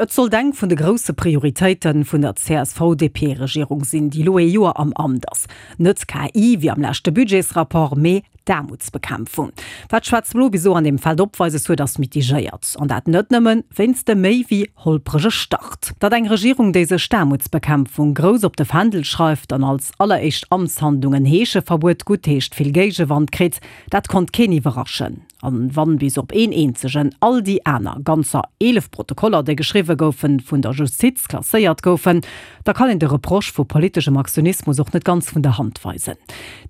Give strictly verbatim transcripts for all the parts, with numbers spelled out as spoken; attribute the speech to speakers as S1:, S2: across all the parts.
S1: Et sollt eng vun de grousse Prioritéite vun der C S V D P-Regierung sinn, déi lo ee Joer am Amt ass. Net K I wéi am leschte Budgetsrapport, mee d'Aarmutsbekämpfung. Wat Schwaarz-Blo bis elo an deem Feld opweises huet, ass mitigéiert. An dat net nëmmen wéinst dem méi wéi holprege Start. Datt eng Regierung, déi sech d'Aarmutsbekämpfung grouss op de Fändel schreift an als alleréischt Amtshandlung en Heescheverbuet guttheescht, vill Géigewand kritt, dat konnt keen iwwerraschen. An wann bis op een eenzegen all déi aner ganzer eelef Protokoller, déi geschriwwe goufen, vun der Justiz klasséiert goufen, da kann een de Reproche vu politeschem Aktionismus och net ganz vun der Hand weisen.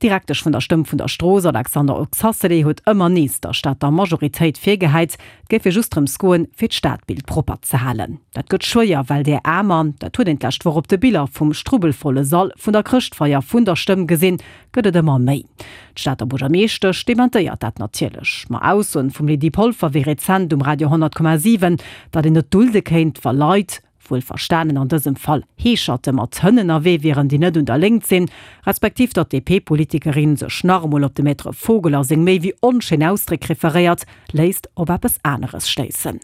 S1: D'Direktesch vun der Stëmm vun der Strooss, Alexandra Oxacelay, huet ëmmer nees der Stater Majoritéit virgehäit, et géif just drëms goen, fir d'Stadbild propper ze halen. Dat gëtt schwéier, well där Aarmer, dat huet een d'lescht Woch op de Biller vum strubbelvolle Sall vun der Chrëschtfeier vun der Stëmm gesinn, gëtt et ëmmer méi. D'Stater Buergermeeschtesch dementéiert dat natierlech. Ma Aussoen vum Lydie Polfer wéi rezent um Radio honnert Komma siwen, datt een net dulde kéint, wa Leit, wuel verstanen an dësem Fall Heescherte, mat Hënn ënnerwee wieren, déi net un der Léngt sinn, respektiv datt d'D P-Politikerin sech nach emol op de Maître Vogel a seng méi wéi onschéin Ausdréck referéiert, léisst op eppes aneres schléissen.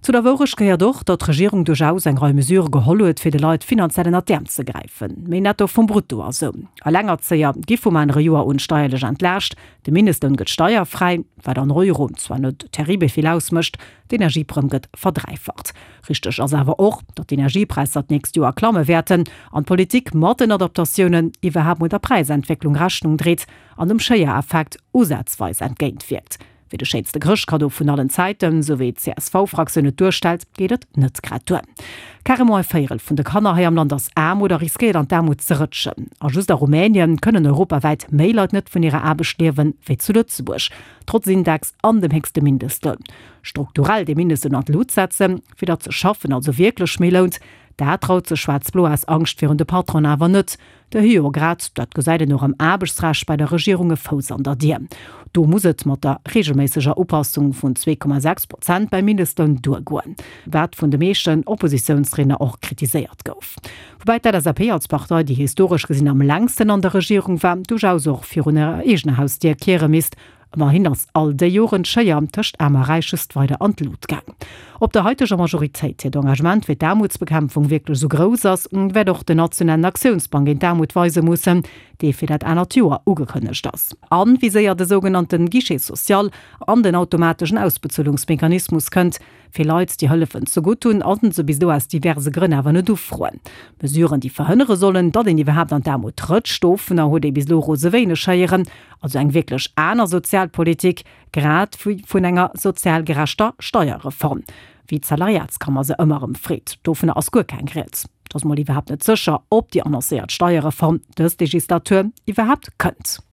S1: Zu der Wourecht gehéiert och, datt d'Regierung duerchaus eng Rei Mesurë geholl huet, fir de Leit finanziell ënnert d'Äerm ze gräifen. Méi Netto vum Brutto a sou. Elengerzéier gi vum anere Joer un steierlech entlaascht, de Mindestloun gëtt steierfräi, wat an Euro zwar net terribel vill ausmécht, d'Energieprëmm gëtt verdräifacht. Richteg ass awer och, datt d'Energiepräisser d'nächst Joer klamme wäerten an d'Politik mat den Adaptatiounen iwwerhaapt mol der Präisentwécklung Rechnung dréit an dem Schéiereffekt usazweis entgéintwierkt. Fir de schéinste Chrëschtkaddo vun allen Zäiten, sou wéi d'C S V-Fraktioun et duerstellt, geet et net grad duer. Carrément e Véierel vun de Kanner hei am Land ass aarm oder riskéiert an d'Aarmut ze rëtschen. A just a Rumänien kënnen europawäit méi Leit net vun hirer Aarbecht liewen, wéi zu Lëtzebuerg, trotz Index an dem héchste Mindestloun. Strukturell de Mindestloun an d'Lut setzen, fir datt ze schaffen also wierklech méi lount, dat traut sech Schwaarz-Blo aus Angscht virun de Patronen awer net. Déi hu jo grad, dat gesäit een och am Aarbechtsrecht, bei der Regierung e Fouss an der Dier. Do muss et mat der reegelméisseger Upassung vun zwee Komma sechs Prozent beim Mindestloun duergoen, wat vun de meeschten Oppositiounsriedner och kritiséiert gouf. Woubäi d'L S A P als Partei, déi historesch gesinn am längsten an der Regierung war, duerchaus och virun hirer eegener Hausdier kiere misst. Ëmmerhin ass all déi Joren d'Schéier tëscht Aarm a Räich just weider an d'Lut gaang. Ob der haiteger Majoritéit hiert Engagement fir d'Aarmutsbekämpfung wierklech esou grouss ass, wäert och den nationalen Aktiounsplang géint d'Aarmut weise mussen, dee fir dat anert Joer ugekënnegt ass. An wéi séier de sougenannte Guichet social an den automateschen Ausbezuelungsmechanismus kënnt, fir Leit, déi Hëllefen zegutt hunn a se bis elo aus diverse Grënn awer net ufroen. Mesuren, déi verhënnere sollen, datt een iwwerhaapt an d'Aarmut rëtscht, dovunner huet ee bis elo rose wéineg héieren. Also eng wierklech aner Sozialpolitik, grad wéi vun enger sozial gerechter Steierreform, wéi d'Salariatskammer se ëmmer erëm freet. Dovunner ass guer keng Rieds. Et ass mol iwwerhaapt net sécher, ob déi annoncéiert Steierreform dës Legislatur iwwerhaapt kënnt.